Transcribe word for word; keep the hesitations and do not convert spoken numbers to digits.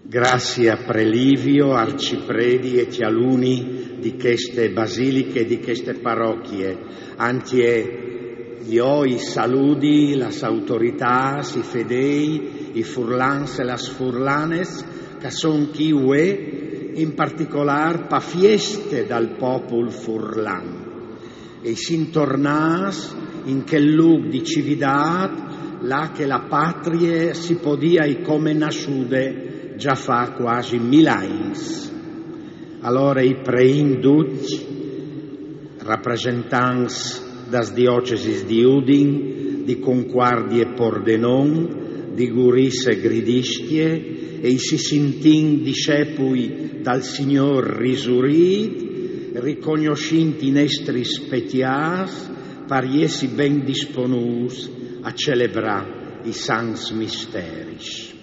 Grazie a Prelivio, arcipredi e cjaluni di cheste basiliche, di cheste parochie. Antie jo i saludi las autoritâts, i fedei, i furlans e las furlanes, che a son chi vuê, in particolâr pa fieste dal popul furlan. E i sin tornâts in chel lûc di cividât, là che la patrie si podia come nassude za fa cuasi mil agns. Alore i preìn ducj, rapresentants das diocesis di Udin, di Concuardie Pordenon, di Gurize Gridiscje, e i si sintìn discepui dal Signôr risurît, ricognossint i nestris pecjâts, par jessi ben disponûts a celebrâ i sants misteris.